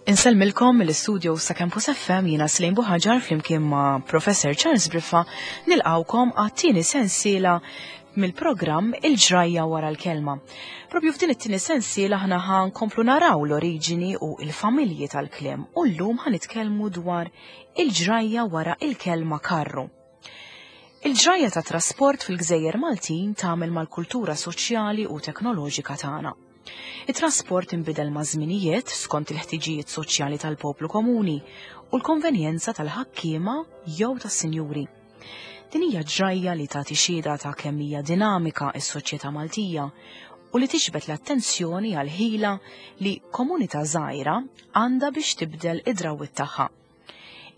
Insellmilkom mill-istudio sa' Campus FM jiena Slejn Buħaġar flimkien ma' Professor Charles Briffa nilqawkom għat-tieni sensiela mill-programm Il-ġrajja wara l-kelma. Propju f'din it-tieni sensiela aħna ħa nkomplu naraw l-oriġini u l-familji tal-kliem u llum ħa nitkellmu dwar il-ġrajja wara il-kelma karru. Il-ġrajja ta' trasport fil-gżejjer Maltin tagħmel mal-kultura soċjali u teknoloġika tagħna. It-trasport inbidel maż-żminijiet skont il-ħtiġijiet soċjali tal-poplu komuni u l-konvenjenza tal-ħakkiema jew tas-sinjuri. Din hija ġrajja li tagħti xhieda ta' kemm hija dinamika s-soċjetà Maltija u li tiġbed l-attenzjoni għall-ħila li komunità żgħira għandha biex tibdel id-drawwiet tagħha.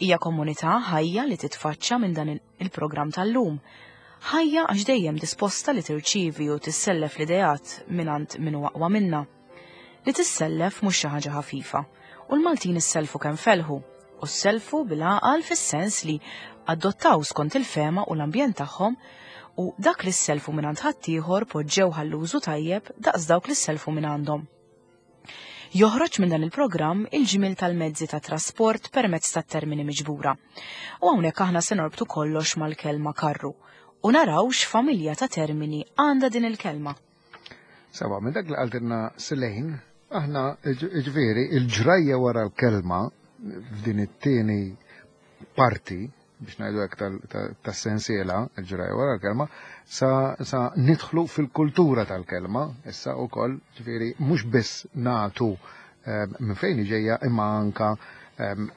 Hija komunità ħajja li titfaċċa minn dan il-programm tal-lum. Ħajja għax dejjem disposta li tirċievi u tissellef l-ideat mingħand min hu aqwa minnha. Li tissellef mhux xi ħaġa ħafifa u l-Maltin issellfu kemm felħu u ssellfu bil-għaqal fis-sens li adottaw skont il-fehma u l-ambjent tagħhom u dak li ssellfu mingħand ħaddieħor poġġew ħall-użu tajjeb daqs dawk li ssellfu mingħandhom. Joħroġ minn dan il-programm il-ġmiel tal-mezzi ta' trasport permezz tat-termini miġbura. U hawnhekk aħna se norbtu kollox mal-kelma karru u naraw x'familja ta' termini għandha din il-kelma. Sawa, minn dak li qaltilna Silejn, aħna ġifieri il-ġrajja wara l-kelma f'din it-tieni parti biex ngħidu hekk tas-sensiela, il-ġrajja wara l-kelma, sa, sa nidħlu fil-kultura tal-kelma, issa wkoll, ġifieri mhux biss nagħtu ehm, minn fejn ġejja imma anka ehm,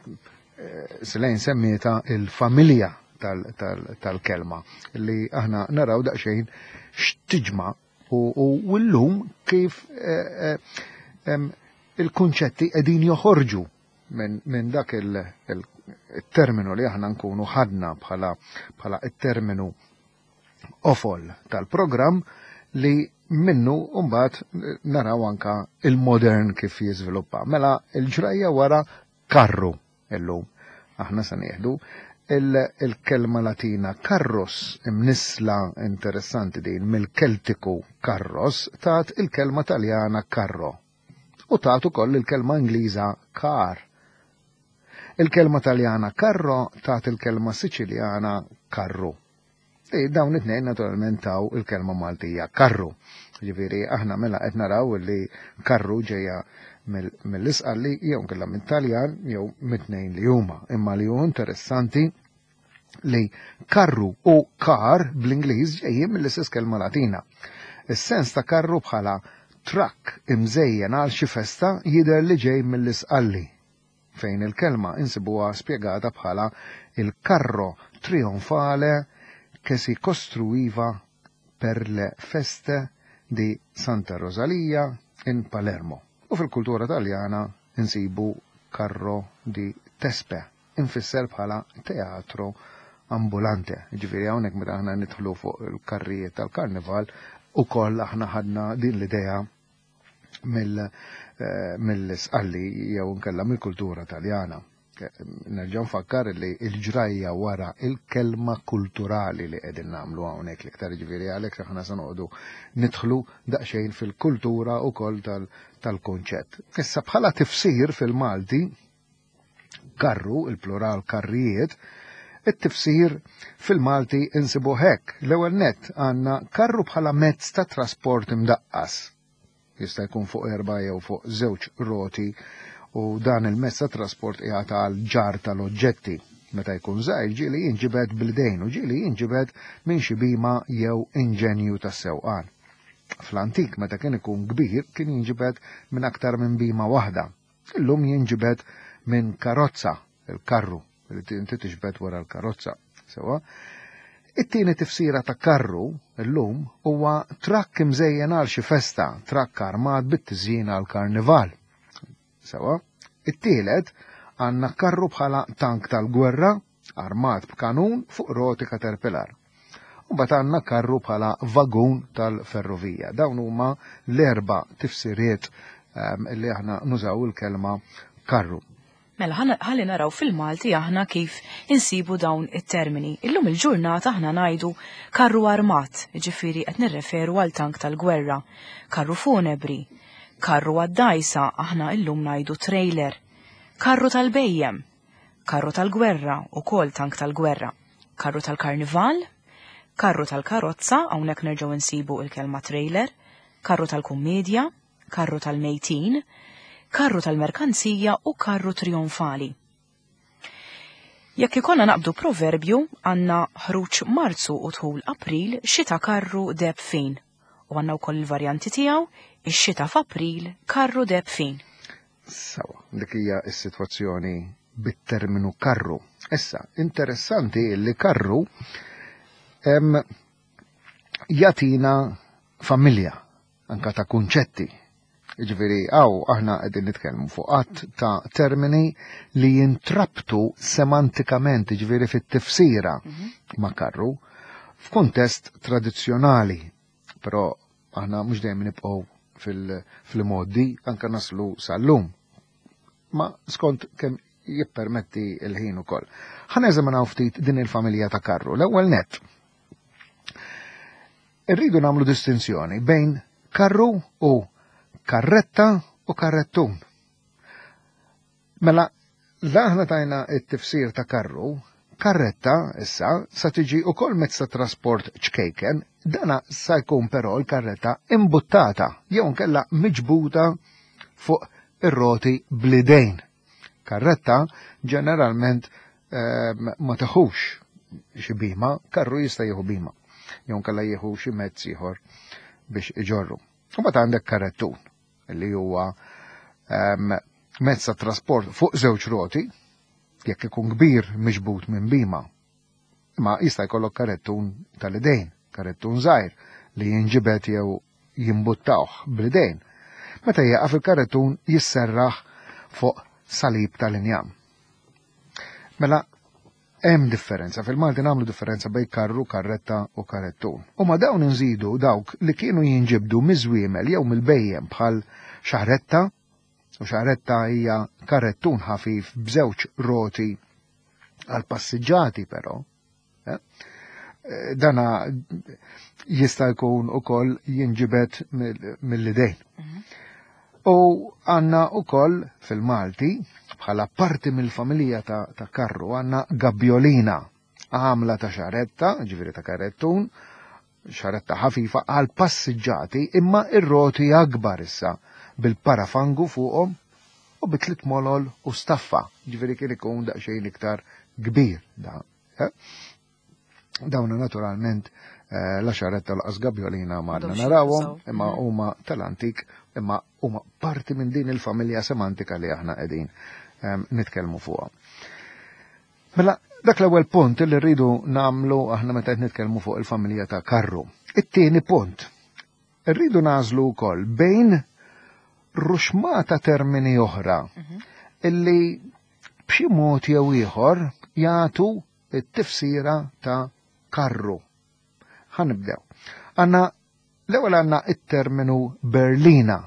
eh, Silejn semmieta il-familja tal-kelma li aħna naraw daqsxejn x'tiġma u llum kif eh, eh, il-kunċetti qegħdin joħorġu minn dak il-terminu li aħna nkunu ħadna bħala bħala it-terminu ofol tal-programm li minnu mbagħad naraw anka il-modern kif jiżviluppa. Mela il-ġrajja wara karru illum. Aħna se nieħdu il-kelma Latina karros imnissla interessanti din mill-Keltiku karros tat il-kelma Taljana karro u tat ukoll il-kelma Ingliża car. Il-kelma Taljana carro tat il-kelma Siċiljana karru. E dawn it-tnejn naturalment taw il-kelma Maltija karru. Ġifieri aħna mela qed naraw li karru ġejja mill-Isqalli jew nkella mit-Taljan jew mit-tnejn li huma. Imma li hu interessanti li karru u car bl-Ingliż ġejjin mill-istess kelma Latina. Is-sens ta' karru bħala trakk imżejjen għal xi festa jidher li ġej mill-Isqalli, fejn il-kelma insibuha spjegata bħala il carro trionfale che si costruiva per le feste di Santa Rosalia in Palermo. U fil-kultura Taljana insibu carro di Tespe imfisser bħala teatro ambulante. Ġifieri hawnhekk meta aħna nidħlu fuq il-karrijiet tal-karnival ukoll aħna ħadna din l-idea eh, mill-sqalli jew nkella mill-kultura Taljana. Eh, nerġa' nfakkar li l-ġrajja wara il-kelma kulturali li qegħdin nagħmlu hawnhekk l-iktar ġifieri għalhekk aħna se noqogħdu nidħlu daqsxejn fil-kultura wkoll tal-kunċett. Issa bħala tifsir fil-Malti Karru, il-plural karrijiet, it-tifsir fil-Malti insibuh hekk. L-ewwel nett għandna karru bħala mezz ta' trasport imdaqqas. Jista' jkun fuq erba' jew fuq żewġ roti u dan il-mezz ta' trasport qiegħed għal ġarr tal-oġġetti. Meta jkun żgħir ġieli jinġibed bl-idejn u ġieli jinġibed minn xi bhima jew inġenju tas-sewqan. Fl-antik meta kien ikun kbir kien jinġibed minn aktar minn bhima waħda. Illum jinġibed minn karozza, il-karru, li inti tiġbed wara l-karozza. Sewa. It-tieni tifsira ta' karru illum huwa trakk imżejjen għal xi festa, trakk armat bit-tiżjin għal karnival. Sewa. It-tielet għandna karru bħala tank tal-gwerra armat b'kanun fuq roti caterpillar. U mbagħad għandna karru bħala vagun tal-ferrovija. Dawn huma l-erba' tifsiriet ehm, li aħna nużaw il-kelma karru. Mela ħalli naraw fil-Malti aħna kif insibu dawn it-termini. Illum il-ġurnata aħna ngħidu karru armat, ġifieri qed nirreferu għal tank tal-gwerra, karru funebri, karru għad-dajsa aħna illum ngħidu trailer. Karru tal-bejjem, karru tal-gwerra, ukoll tank tal-gwerra, karru tal-karnival, karru tal-karozza, hawnhekk nerġgħu nsibu il-kelma trailer, karru tal-kummedja, karru tal-mejtin, karru tal-merkanzija u karru trionfali. Jekk ikollna naqbdu proverbju, għandna ħruġ Marzu u dħul April, xita karru deb fin. U għandna wkoll il-varjanti tiegħu, ix-xita f'April, karru deb fin. Sawa, dik hija s-sitwazzjoni bit-terminu karru. Issa, interessanti li karru jatina familja anka ta' kunċetti. Ġifieri hawn aħna qegħdin nitkellmu fuq għadd ta' termini li jintrabtu semantikament, ġifieri fit-tifsira ma' karru, f'kuntest tradizzjonali. Però aħna mhux dejjem nibqgħu fil-modi anka naslu sal-lum. Ma skont kemm jippermetti l-ħin ukoll. Ħa neżaminaw ftit din il-familja ta' karru. L-ewwel nett. Irridu nagħmlu distinzjoni bejn karru u karretta u karrettun. Mela, aħna tajna it-tifsir ta' karru, karretta issa sa tiġi ukoll mezz ta' trasport ċkejken, dana sa jkun però l-karretta imbuttata jew nkella miġbuta fuq ir-roti bl-idejn. Karretta ġeneralment ma teħux xi bima, karru jista' jieħu bima, jew nkella jieħu xi mezz ieħor biex iġorru. U mbagħad għandek karrettun li huwa mezz ta' trasport fuq żewġ roti, jekk ikun kbir miġbut minn bima. Imma jista' jkollok karrettun tal-idejn, karrettun żgħir li jinġibed jew jimbuttawh bl-idejn. Meta jieqaf il-karrettun jisserraħ fuq salib tal-injam. Mela, hemm differenza, fil-Malti nagħmlu differenza bejn karru, karretta u karrettun. U ma dawn inżidu dawk li kienu jinġibdu miż-żwiemel jew mill-bejjem bħal xahretta, u xahretta hija karrettun ħafif b'żewġ roti għal passiġġati però. Dana jista' jkun ukoll jinġibed mill-idejn. U għandna ukoll fil-Malti, bħala parti mill-familja ta' karru, għandna gabbjolina, għamla ta' xaretta, ġifieri ta' karrettun, xaretta ħafifa għal passiġġati, imma ir-roti akbar issa bil-parafangu fuqhom u bi tliet molol u staffa, ġifieri kien ikun daqsxejn iktar kbir da. Dawna naturalment la xaretta laqas gabbjolina ma għadna M'għadhomx narawhom, jintużaw. imma huma tal-antik, imma huma parti minn din il-familja semantika li aħna qegħdin nitkellmu fuqha. Mela, dak l-ewwel punt li rridu nagħmlu aħna meta qed nitkellmu fuq il-familja ta' karru. It-tieni punt, rridu nagħżlu wkoll bejn ruxmata termini oħra illi b'xi mod jew ieħor jagħtu it-tifsira ta' karru. Ħa nibdew. L-ewwel għandna it-terminu berlina,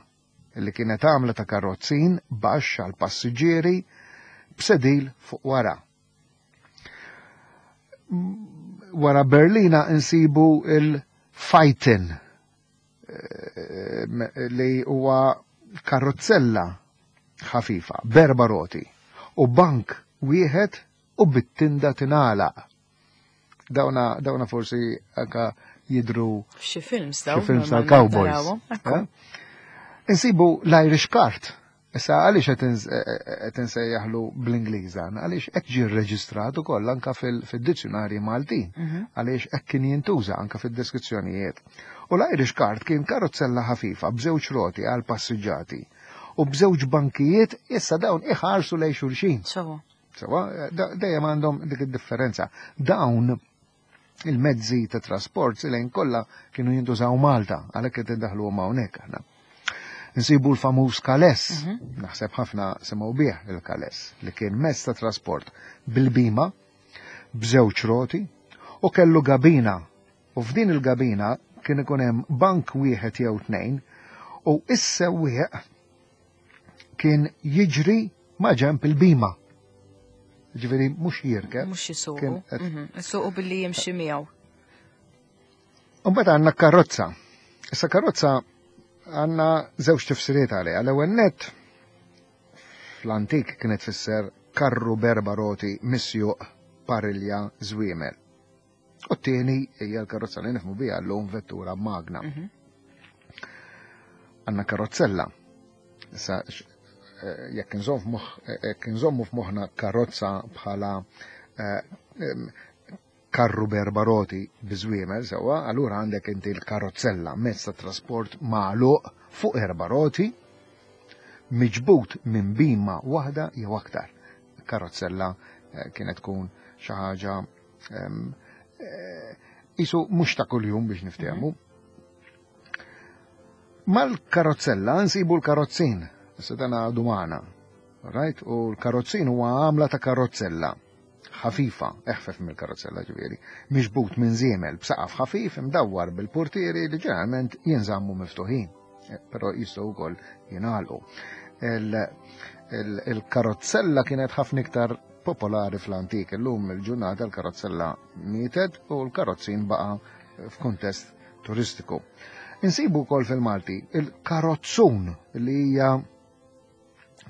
li kienet għamla ta' karrozzin baxx għal passiġġieri b'sedil fuq wara. Wara berlina insibu il-fajtin, li huwa karrozzella ħafifa, b'erba' roti, u bank wieħed u bit-tinda tingħalaq. Dawna forsi anka jidru Xi films xi dawn, films normalment tal-cowboys. narawhom, ekku. Insibu l-Irish Cart. Issa għaliex qed insejjaħlu bl-Ingliż dan? Għaliex hekk ġie rreġistrat ukoll anka fid-dizzjonarji Maltin. Għaliex hekk kien jintuża anka fid-deskrizzjonijiet. U l-Irish Cart kien karozzella ħafifa b'żewġ roti għal passiġġati u b'żewġ bankijiet issa dawn iħarsu lejn xulxin. Sewa. Sewa, dejjem għandhom dik id-differenza. Dawn il-mezzi ta' trasport lejn kollha kienu jintużaw Malta, għalhekk qed indaħluhom hawnhekk aħna. Nsibu l-famuż Kales, naħseb ħafna semgħu bih il-Kales, li kien mezz ta' trasport bil-bima, b'żewġ roti, u kellu gabina. U f'din il-gabina kien ikun hemm bank wieħed jew tnejn, u is-sewwieq kien jiġri ma' ġenb il-bima. Ġifieri mhux jirkeb. Mhux jisuqu. Kien qed Isuqu billi jimxi miegħu. U mbagħad għandna karozza. Issa karozza għandna żewġ tifsiriet għaliha. L-ewwel nett Fl-antik kienet tfisser karru b'erba' roti misjuq parilja żwiemel. U t-tieni hija l-karozza li nifhmu biha llum vettura magna. Mhm. Għandna karozzella. Issa eh, jekk eh, nżommu f'moħħna karozza bħala eh, karru b'erba' roti bi żwiemel sewwa, allura għandek inti l-karozzella, mezz ta' trasport magħluq fuq erba' roti, miġbud minn bima waħda jew aktar. Karozzella eh, kienet tkun xi ħaġa eh, isu mhux ta' kuljum biex niftehmu. Mhm. Mal-karozzella nsibu l-karozzin, issa dan għadu magħna. Right? U l-karozzin huwa għamla ta' karozzella ħafifa, eħfef mill-karozzella ġifieri, miġbud minn żiemel b'saqaf ħafif imdawwar bil-purtieri li ġeneralment jinżammu miftuħin, eh, però jistgħu wkoll jingħalqu. Il-karozzella kienet ħafna iktar popolari fl-antik, illum il-ġurnata l-karozzella mietet u l-karozzin baqa' f'kuntest turistiku. Insibu wkoll fil-Malti il-karozzun li hija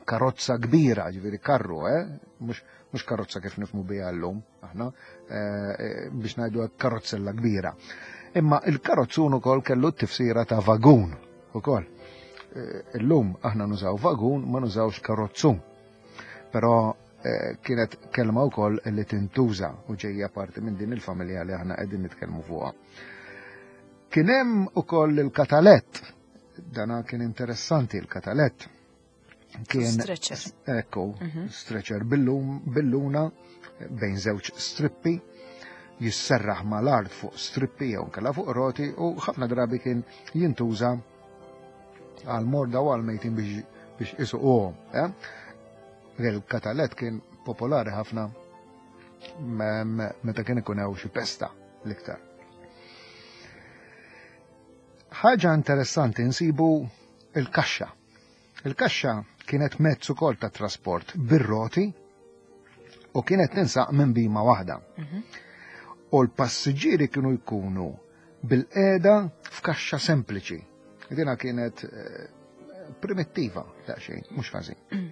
karozza kbira, ġifieri karru, eh? Mhux karozza kif nifmu biha llum, aħna, eh, eh, biex ngħidu karozzella kbira. Imma il-karozzun ukoll kellu t-tifsira ta' vagun ukoll. Eh, illum aħna nużaw vagun, ma nużawx karozzun. Però kienet kelma wkoll li tintuża u ġejja parti minn din il-familja li aħna qegħdin nitkellmu fuqha. Kien hemm ukoll il-katalett Dana kien interessanti l-katalett. Kien stretcher. Ekku, mhm. stretcher billuna bejn żewġ strippi jisserraħ mal-art fuq strippi jew kella fuq roti u ħafna drabi kien jintuża għal morda u għal mejtin biex biex isuquhom. Eh? Il-katalett kien popolari ħafna meta kien ikun hawn xi pesta l-iktar. Ħaġa interessanti nsibu il-kaxxa. Il-kaxxa kienet mezz ukoll ta' trasport bir-roti u kienet tinsaq minn bima waħda. Mhm. U l-passiġġieri kienu jkunu bil-qeda f'kaxxa sempliċi. Dina kienet eh, primittiva daqsxejn, mhux ħażin.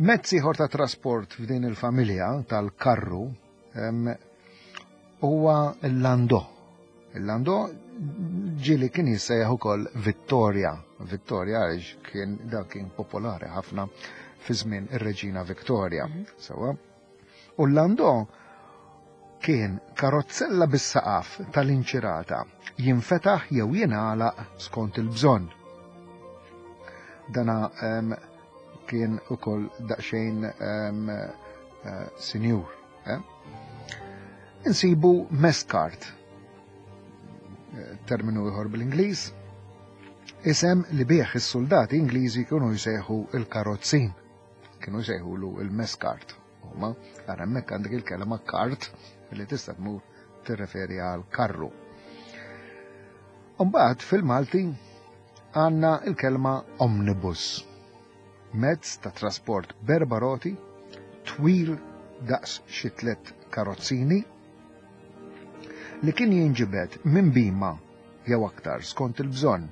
Mezz ieħor ta' trasport f'din il-familja tal-karru huwa l-landò. Il-landò ġieli kien jissejjaħ ukoll Vittoria. Vittoria għaliex kien dak kien popolari ħafna fi żmien ir-Reġina Victoria. Mhm. Sewa. U l-landò kien karozzella bis-saqaf tal-inċirata jinfetaħ jew jingħalaq skont il-bżonn. Dana kien ukoll daqsxejn eh, sinjur. Eh? Insibu meskart, eh, terminu ieħor bl-Ingliż, isem li bih is-soldati Ingliżi kienu jsejħu il-karozzin, kienu jsejħulu il-meskart. Huma, ara hemmhekk għandek il-kelma kart li tista' tmur tirreferi għal karru. Umbagħad fil-Malti għandna il-kelma omnibus. Mezz ta' trasport b'erba' roti, twil daqs xi tliet karozzini, li kien jinġibed minn bima jew aktar skont il-bżonn.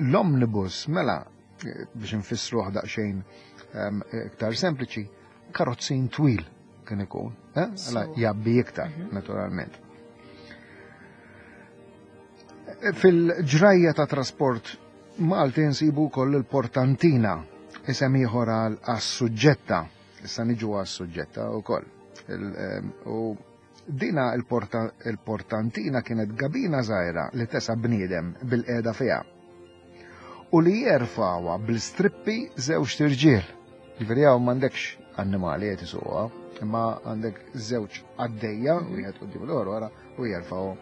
L-omnibus mela biex nfissruh daqsxejn ehm, iktar sempliċi, karozzin twil kien ikun, eh? jabbi iktar, mhm. naturalment. Fil-ġrajja ta' trasport Malti nsibu wkoll il-portantina, isem ieħor għal għas-suġġetta, issa niġu għas-suġġetta wkoll. Ehm, u dina il-portantina kienet gabina żgħira li tesa' bniedem bil-qiegħda fiha. U li jerfgħuha bl-istrippi żewġt irġiel. Ġifieri hawn m'għandekx annimali qed isuqha, imma għandek żewġ għaddejja, wieħed quddiem l-ieħor wara, u jerfgħu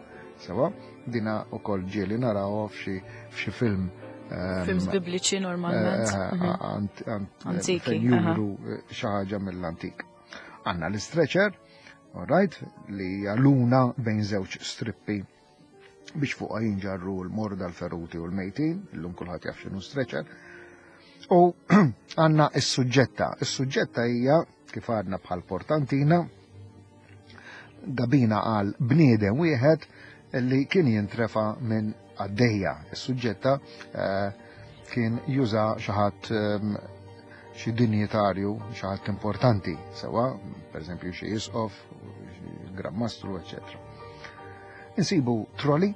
sewa. Dina wkoll ġieli narawha f'xi f'xi film. Ehm, Films bibliċi normalment. Eh, eh, mhm. Fejn juru eh, xi ħaġa mill-antik. Għandna l-stretcher, all right, li hija luna bejn żewġ strippi biex fuqha jinġarru l-morda l-feruti u l-mejtin, illum kulħadd jaf x'inhu stretcher. U għandna s-suġġetta. Is-suġġetta hija kif għadna bħal portantina, gabina għal bniedem wieħed li kien jintrefa minn għaddejja. Is-suġġetta eh, kien juża xi ħadd ehm, xi dinjitarju, xi ħadd importanti, sewa, pereżempju xi isqof, xi gran mastru, eċetera. Insibu troli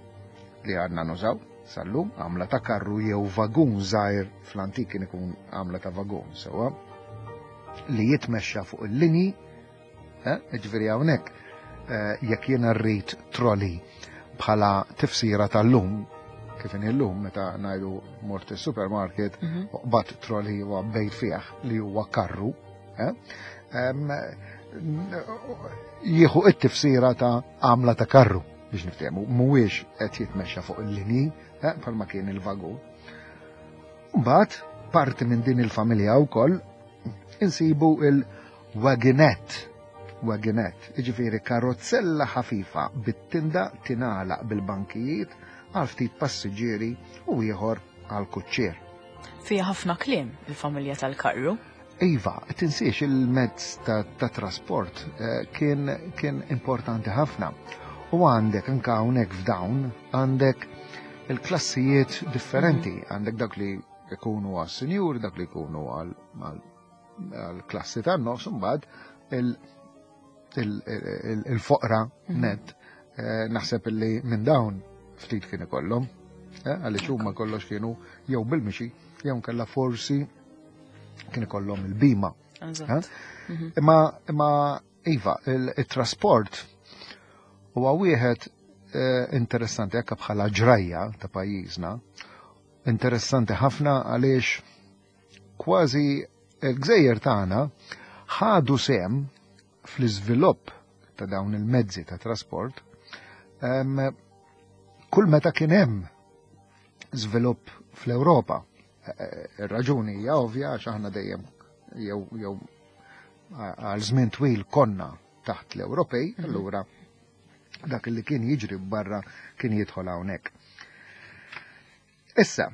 li għandna nużaw sal-lum għamla ta' karru jew vagun żgħir fl-antik kien ikun għamla ta' vagun sewa li jitmexxa fuq il-linji, eh, ġifieri hawnhekk eh, jekk jiena rrid troli bħala tifsira tal-lum, kif inhi llum meta ngħidu mort is-supermarket mhm. u qbad troli u għabbejt fih li huwa karru, eh, jieħu it-tifsira ta' għamla ta' karru biex niftehmu, mhuwiex qed jitmexxa fuq il-linji eh, bħalma kien il-vagun. Mbagħad parti minn din il-familja wkoll insibu il-wagonette. Wagonette, jiġifieri karozzella ħafifa bit-tinda tingħalaq bil-bankijiet għal ftit passiġġieri u ieħor għal kuċċier. Fiha ħafna kliem il-familja tal-karru. Iva, tinsiex il-mezz ta', ta trasport eh, kien, kien importanti ħafna. U għandek anka hawnhekk f'dawn għandek il-klassijiet differenti, mhm. għandek dak li jkunu għas-sinjur, dak li jkunu għal-klassi tan-nofs, mbagħad il-foqra mhm. net. Eh, naħseb li minn dawn ftit kien ikollhom, eh, għaliex huma kollox kienu jew bil-mixi, jew nkella forsi kien ikollhom il-bima. Eh? Mhm. Imma imma iva, il-trasport huwa wieħed interessanti anke bħala ġrajja ta' pajjiżna Interessanti ħafna għaliex kważi il-gżejjer tagħna ħadu sehem fl-iżvilupp ta' dawn il-mezzi ta' trasport kull meta kien hemm żvilupp fl-Ewropa. E, e, ir-raġuni hija ovvja għax aħna dejjem jew jew għal żmien twil konna taħt l-Ewropej, mhm. allura dak li kien jiġri barra kien jidħol hawnhekk. Issa,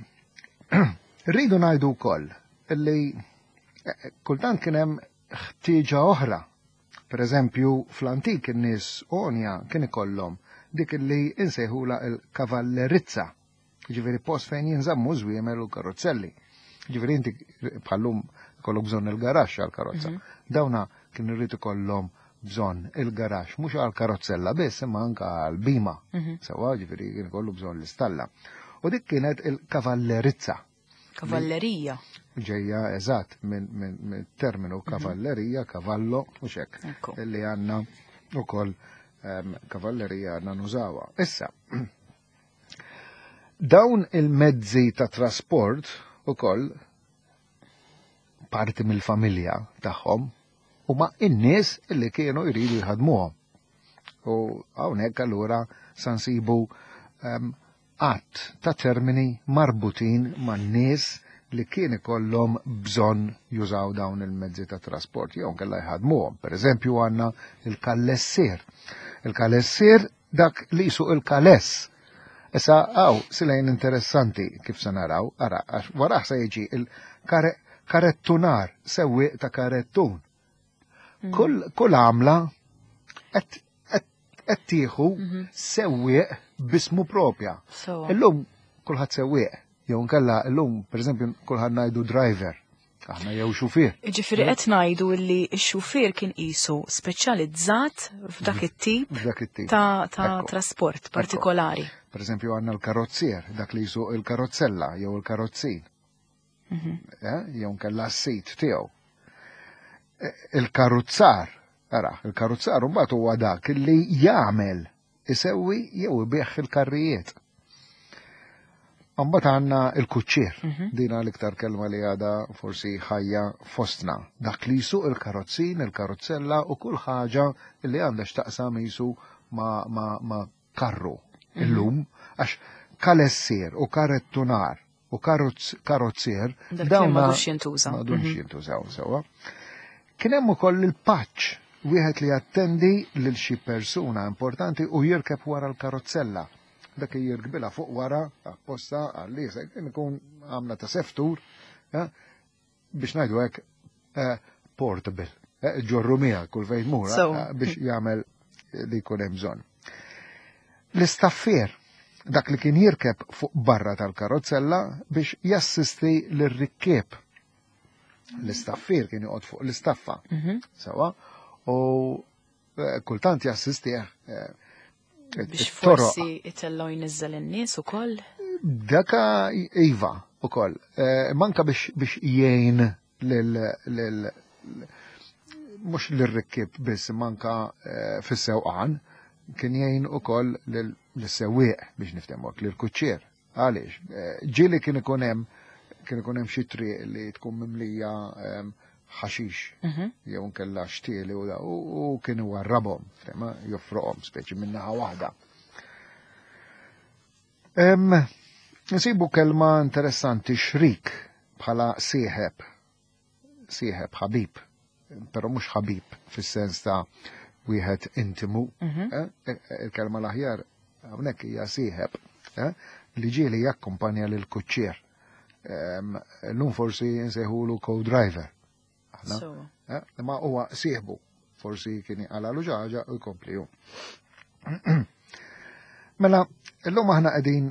rridu ngħidu wkoll li eh, kultant kien hemm ħtieġa oħra. Per eżempju, fl-antik in-nies onja kien ikollhom dik li insejħula il-kavallerizza Ġifieri post fejn jinżammu żwiemel u karozzelli. Ġifieri inti bħallum kollok bżonn il-garaxx għal-karozza. Mhm. Dawna kien irid ikollhom bżonn il-garaxx mhux għal-karozzella biss imma anka għal-bima. Mhm. Sewa ġifieri kien ikollu bżonn l-istalla. U dik kienet il-kavallerizza. Kavallerija. Ġejja eżatt minn terminu mhm. kavallerija, kavallo, u xek. Illi għandna ukoll ehm, kavallerija għandna nużawha. Issa, Dawn il-mezzi ta' trasport ukoll parti mill-familja tagħhom huma n-nies li kienu jridu jħadmuhom. U hawnhekk allura sa nsibu ehm, għadd ta' termini marbutin man-nies li kien ikollhom bżonn jużaw dawn il-mezzi ta' trasport jew nkella jħadmuhom. Per eżempju għandna il-kallessier. Il-kallessier Dak li jsuq il-kaless. Issa hawn silejn interessanti kif se naraw, ara, għax warah se jiġi il-karettunar, sewwieq ta' karettun. Mm. Kull, kull għamla qed tieħu mhm. sewwieq bismu propja. Illum kulħadd sewwieq, jew nkella illum pereżempju kulħadd ngħidu driver. Aħna jew xufier. Ġifieri qed ngħidu li x-xufier kien qisu speċjalizzat f'dak it-tip ta', ta trasport partikolari. Per eżempju għandna l-karozzier, dak li jsuq il-karozzella jew il-karozzin. Mhm. Eh, jew nkella s-sit tiegħu. Eh, il-karuzzar, ara, il-karuzzar mbagħad huwa dak li jagħmel isewwi jew ibigħ il-karrijiet. Mbagħad għandna il-kuċċier, mhm. dina l-iktar kelma li għada forsi ħajja fostna. Dak li jsuq il-karozzin, il-karozzella u kull ħaġa li għandha x'taqsam jisu ma, ma, ma karru mhm. illum, għax kalessier u karettunar u karozzier dawn m'għadux jintuża. M'għadux mhm. jintużaw sewwa. Kien hemm ukoll il-paċ, wieħed li jattendi lil xi persuna importanti u jirkeb wara l-karozzella. Dak li jirkbilha fuq wara apposta għal kien ikun għamla ta' seftur eh, biex ngħidu hekk eh, portable, eh, ġorru miegħek kull fejn tmur biex jagħmel li jkun hemm bżonn. L-istaffier. Dak li kien jirkeb fuq barra tal-karozzella biex jassisti lir-rikkieb. L-istaffier kien joqgħod fuq l-istaffa. Sewa, u eh, kultant jassistih eh, Biex forsi itellu jniżżel in-nies ukoll? Daka iva ukoll. Eh, manka biex biex jgħin lil lil mhux lir-rikkib biss manka fis-sewqan kien jgħin ukoll lis-sewwieq biex niftehmu lill-kuċċier. Għaliex? Eh, ġieli kien ikun hemm kien ikun hemm xi triq li tkun mimlija ehm, ħaxix jew nkella xtieli u u kien iwarrabhom, tema joffroqhom speċi minn naħa waħda. Nsibu kelma interessanti xrik bħala sieħeb, sieħeb ħabib, però mhux ħabib fis-sens ta' wieħed intimu. Eh, eh, il-kelma l-aħjar hawnhekk hija sieħeb eh, li ġieli jakkumpanja lil kuċċier. Llum forsi nsejħulu co-driver. Aħna, ma huwa sieħbu, forsi kien għalalu ġaġa u jkompli hu. Mela, illum aħna qegħdin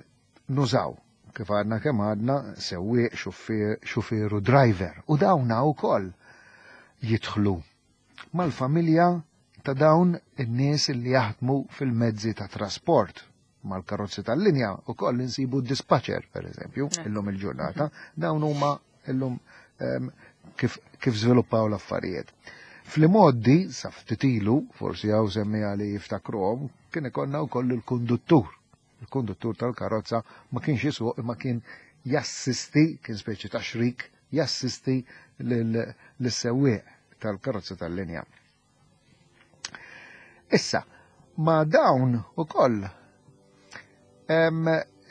nużaw kif għadna kemm għadna sewwieq, xufier u driver u dawna wkoll jidħlu mal-familja ta' dawn in-nies li jaħdmu fil-mezzi ta' trasport mal-karozzi tal-linja u koll insibu dispatcher, per eżempju, illum il-ġurnata, dawn huma illum kif, kif żviluppaw l-affarijiet. Fl-imgħoddi, sa ftit ilu, forsi hawn semmiegħa li jiftakruhom, kien ikollna wkoll il-konduttur. Il-konduttur tal-karozza ma kienx jisuq imma kien jassisti, kien speċi ta' xrik, jassisti lis-sewwieq tal-karozza tal-linja. Issa, ma dawn ukoll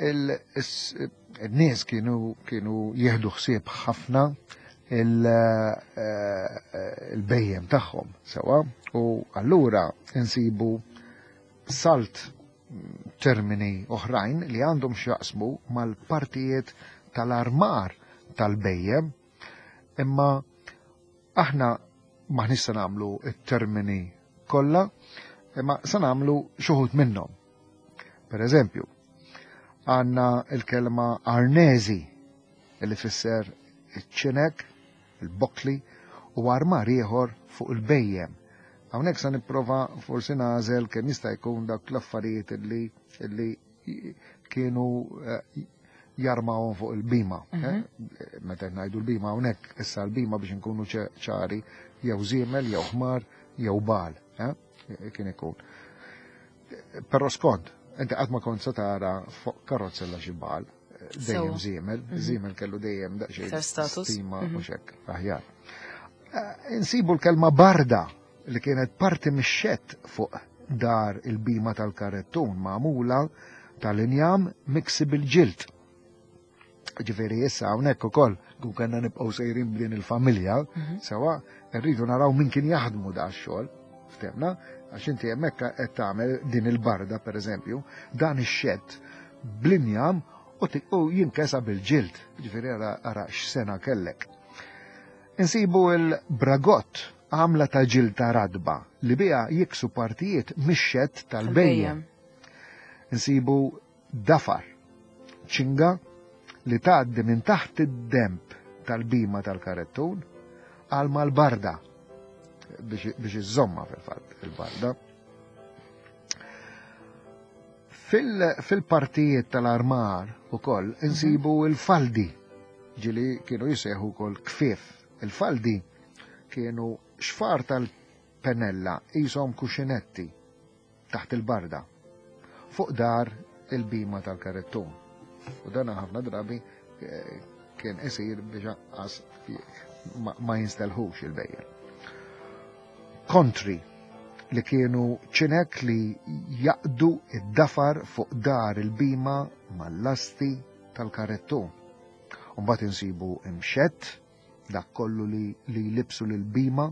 il-nies kienu kienu jieħdu ħsieb ħafna il-bejjem tagħhom sewa u allura insibu salt termini oħrajn li għandhom x'jaqsmu mal-partijiet tal-armar tal-bejjem imma aħna maħniex se nagħmlu it-termini kollha imma se nagħmlu xi wħud minnhom. Per eżempju, għandna il-kelma arnezi li tfisser iċ-ċinek, il-bokli u armar ieħor fuq il-bejjem. Hawnhekk se nipprova forsi nagħżel kemm jista' jkun dak l-affarijiet li li kienu eh, jarmawhom fuq il-bima. Eh? Meta ngħidu l-bima hawnhekk issa l-bima biex inkunu ċari jew żiemel jew ħmar jew bal, eh? Kien ikun. Però skont, inti qatt ma kont se tara fuq karozzella xi bal, dejjem żiemel, żiemel kellu dejjem daqsxejn Iktar status. stima u xek, aħjar. Insibu l-kelma barda li kienet parti mix-xett fuq dar il-bima tal-karettun magħmula tal-injam miksi bil-ġild. Ġifieri issa hawnhekk ukoll kun kellna nibqgħu sejrin b'din il-familja, sewa rridu naraw min kien jaħdmu da x-xogħol, ftemna, għax inti hemmhekk qed tagħmel din il-barda pereżempju, dan ix-xett bl-injam u u jinkesa bil-ġild, ġifieri ara ara x'sena kellek. Insibu il-bragott għamla ta' ġilda radba li biha jiksu partijiet mix-xett tal-bejjem. Insibu dafar, ċinga li tgħaddi minn taħt id-demb tal-bima tal-karettun għal mal-barda biex biex iżomma fil-fatt il-barda. Fil-partijiet tal-armar ukoll insibu il-faldi ġili kienu jisejħu wkoll kfif. Il-faldi kienu xfar tal-penella qishom kuxinetti taħt il-barda fuq dar il-bima tal-karettun. U dan ħafna drabi eh, kien isir biex anqas ma, ma jinstelħux il-bejjem. Kontri li kienu ċinek li jaqdu id-dafar fuq dar il-bima mal-lasti tal-karettun. Mbagħad insibu imxett, dak kollu li, li jlibsu lil-bima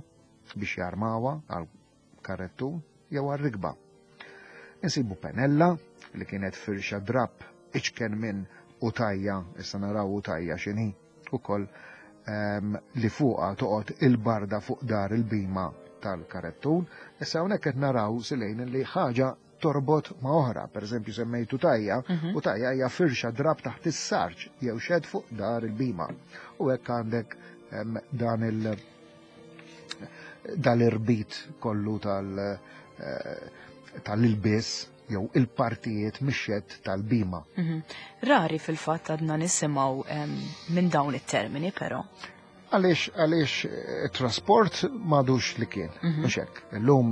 biex jarmawa għal karettun jew għal rikba. Insibu penella li kienet firxa drab iċken minn utajja, issa naraw utajja x'inhi, ukoll li fuqha toqgħod il-barda fuq dar il-bima tal-karettun. Issa hawnhekk qed naraw silejn li ħaġa torbot ma' oħra. Per eżempju semmejtu tajja, u tajja hija firxa drab taħt is-sarġ jew xed fuq dar il-bima. U hekk għandek dan il- dal-irbit kollu tal- eh, tal-ilbies jew il-partijiet mix-xedd tal-bima. Rari fil-fatt għadna nisimgħu minn dawn it-termini però. Għaliex għaliex eh, trasport m'għadux li kien, mhux hekk. Illum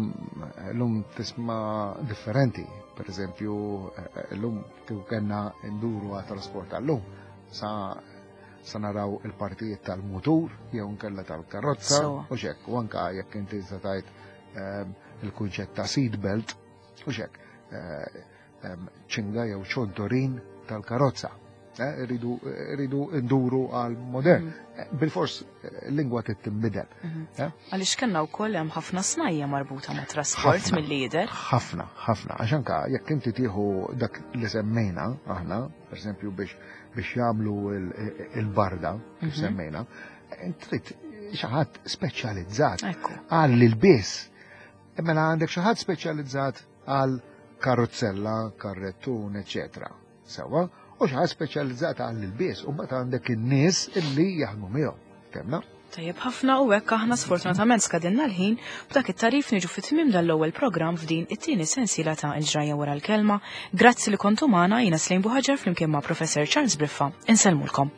illum tisma' differenti. Per eżempju, eh, illum kieku kellna nduru għat trasport għallum sa sa naraw il-partijiet tal-mutur jew nkella tal-karozza u xek, u anka jekk inti se tgħid il-kunċett ta' seat belt u xek, eh, ċinga jew ċontorin tal-karozza. Eh, Rridu nduru għal modern. Eh, Bilfors lingwa trid tinbidel. Eh? Għaliex kellna wkoll hemm ħafna snajja marbuta ma' trasport Ħafna. mill-lider. Ħafna, ħafna. Għax anka jekk inti tieħu dak li semmejna aħna, per eżempju biex biex jagħmlu il-barda, kif semmejna, trid xi ħadd speċjalizzat Ekku. għal il-biss. Mela għandek xi ħadd speċjalizzat għal karozzella, karrettun, eċetera. Sewwa, u xi ħadd speċjalizzat għal il-biss, u mbagħad għandek in-nies illi jaħdmu miegħu. Fhimna? Tajjeb ħafna u hekk aħna sfortunatament skadinna l-ħin b'dak it-tarif niġu fit-tmiem dal-ewwel programm f'din it-tieni sensiela ta' il-ġrajja wara l-kelma. Grazzi li kontu magħna jiena Slejn Buħaġar flimkien ma' Professor Charles Briffa. Insellmulkom.